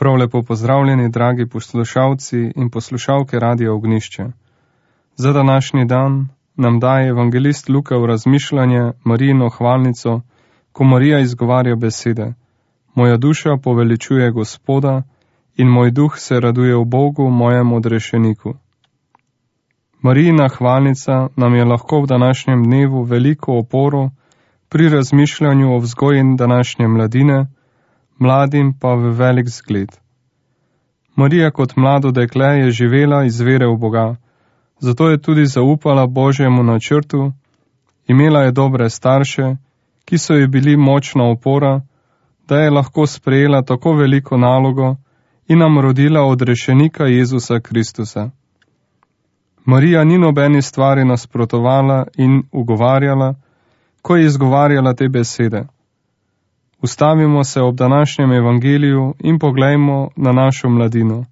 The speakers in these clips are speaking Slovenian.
Prav lepo pozdravljeni, dragi poslušalci in poslušalke Radia Ognjišče. Za današnji dan nam daje evangelist Luka v razmišljanje Marijino hvalnico, ko Marija izgovarja besede: Moja duša poveličuje Gospoda in moj duh se raduje v Bogu, mojem odrešeniku. Marijina hvalnica nam je lahko v današnjem dnevu veliko oporo pri razmišljanju o vzgoji današnje mladine, mladim pa v velik zgled. Marija kot mlado dekle je živela iz vere v Boga, zato je tudi zaupala Božjemu načrtu, imela je dobre starše, ki so ji bili močna opora, da je lahko sprejela tako veliko nalogo in nam rodila odrešenika Jezusa Kristusa. Marija ni nobeni stvari nasprotovala in ugovarjala, ko je izgovarjala te besede. Ustavimo se ob današnjem evangeliju in poglejmo na našo mladino.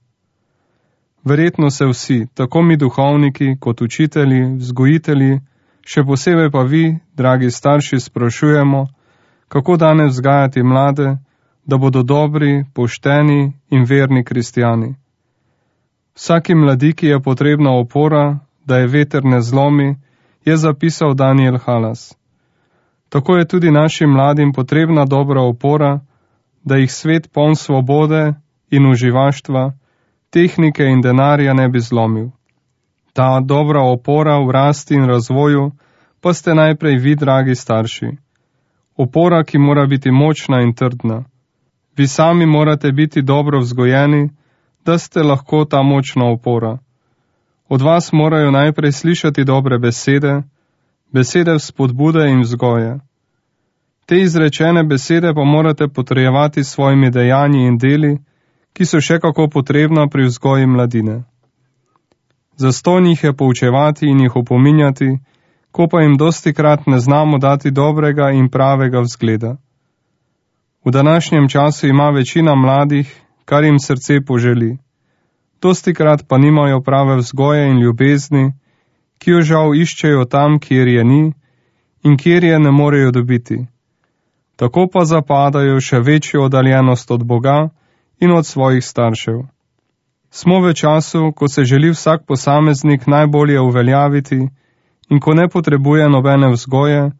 Verjetno se vsi, tako mi duhovniki kot učitelji, vzgojitelji, še posebej pa vi, dragi starši, sprašujemo, kako danes vzgajati mlade, da bodo dobri, pošteni in verni kristjani. Vsaki mladiki je potrebna opora, da je veter ne zlomi, je zapisal Daniel Halas. Tako je tudi našim mladim potrebna dobra opora, da jih svet poln svobode in uživaštva, tehnike in denarja ne bi zlomil. Ta dobra opora v rasti in razvoju pa ste najprej vi, dragi starši. Opora, ki mora biti močna in trdna. Vi sami morate biti dobro vzgojeni, da ste lahko ta močna opora. Od vas morajo najprej slišati dobre besede, besede vzpodbude in vzgoje. Te izrečene besede pa morate potrjevati s svojimi dejanji in deli, ki so še kako potrebna pri vzgoji mladine. Zastonj jih je poučevati in jih opominjati, ko pa jim dostikrat ne znamo dati dobrega in pravega vzgleda. V današnjem času ima večina mladih, kar jim srce poželi. Dostikrat pa nimajo prave vzgoje in ljubezni, ki jo žal iščejo tam, kjer je ni in kjer je ne morejo dobiti. Tako pa zapadajo še večjo oddaljenost od Boga in od svojih staršev. Smo v času, ko se želi vsak posameznik najbolje uveljaviti in ko ne potrebuje nobene vzgoje,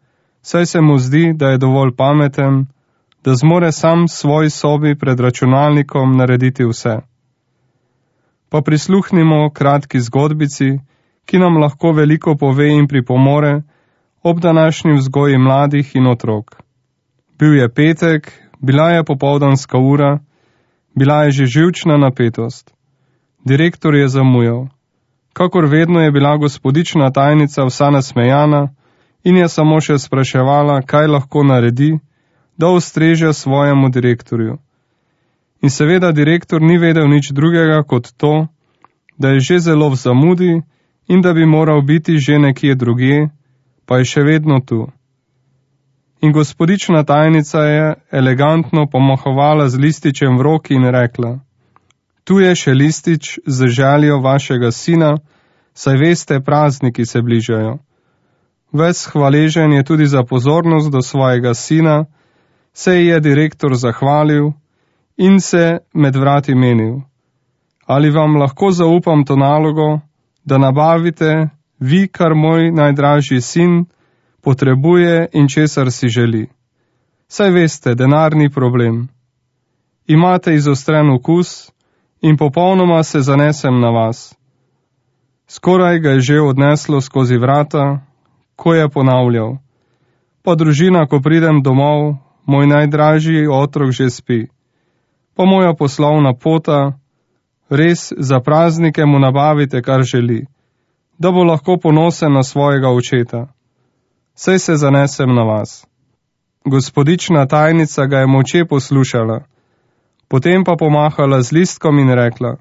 saj se mu zdi, da je dovolj pameten, da zmore sam v svoji sobi pred računalnikom narediti vse. Pa prisluhnimo kratki zgodbici, ki nam lahko veliko pove in pripomore ob današnji vzgoji mladih in otrok. Bil je petek, bila je popoldanska ura, bila je že živčna napetost. Direktor je zamujal. Kakor vedno je bila gospodična tajnica vsa nasmejana in je samo še spraševala, kaj lahko naredi, da ustreže svojemu direktorju. In seveda direktor ni vedel nič drugega kot to, da je že zelo v zamudi in da bi moral biti že nekje drugje, pa je še vedno tu. In gospodična tajnica je elegantno pomahovala z lističem v roki in rekla: Tu je še listič z željo vašega sina, saj veste, prazniki se bližajo. Ves hvaležen je tudi za pozornost do svojega sina, se je direktor zahvalil in se med vrati menil: Ali vam lahko zaupam to nalogo, da nabavite vi, kar moj najdražji sin potrebuje in česar si želi? Saj veste, denar ni problem. Imate izostren okus in popolnoma se zanesem na vas. Skoraj ga je že odneslo skozi vrata, ko je ponavljal: Pa družina, ko pridem domov, moj najdražji otrok že spi. Pa moja poslovna pota, res za praznike mu nabavite, kar želi, da bo lahko ponosen na svojega očeta. Saj se zanesem na vas. Gospodična tajnica ga je molče poslušala, potem pa pomahala z listkom in rekla: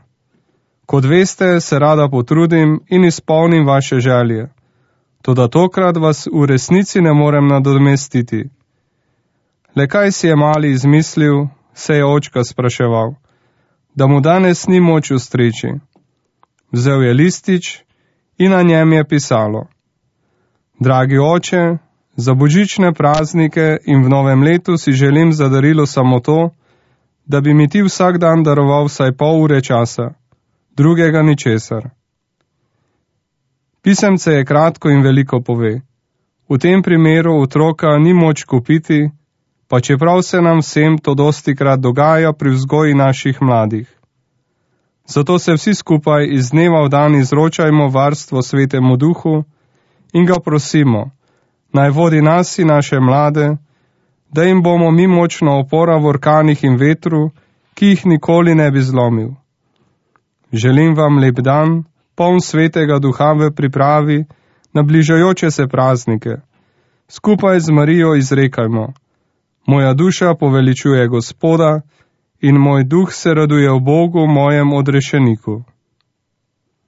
Kot veste, se rada potrudim in izpolnim vaše želje, toda tokrat vas v resnici ne morem nadomestiti. Le kaj si je mali izmislil, se je očka spraševal, da mu danes ni moč ustreči. Vzel je listič in na njem je pisalo: Dragi oče, za božične praznike in v novem letu si želim za darilo samo to, da bi mi ti vsak dan daroval vsaj pol ure časa, drugega ničesar. Pisemce je kratko in veliko pove. V tem primeru otroka ni moč kupiti, pa čeprav se nam vsem to dostikrat dogaja pri vzgoji naših mladih. Zato se vsi skupaj iz dneva v dan izročajmo varstvo Svetemu Duhu in ga prosimo, naj vodi nas in naše mlade, da jim bomo mi močna opora v orkanih in vetru, ki jih nikoli ne bi zlomil. Želim vam lep dan, poln Svetega Duha v pripravi na bližajoče se praznike. Skupaj z Marijo izrekajmo: moja duša poveličuje Gospoda in moj duh se raduje v Bogu, mojem odrešeniku.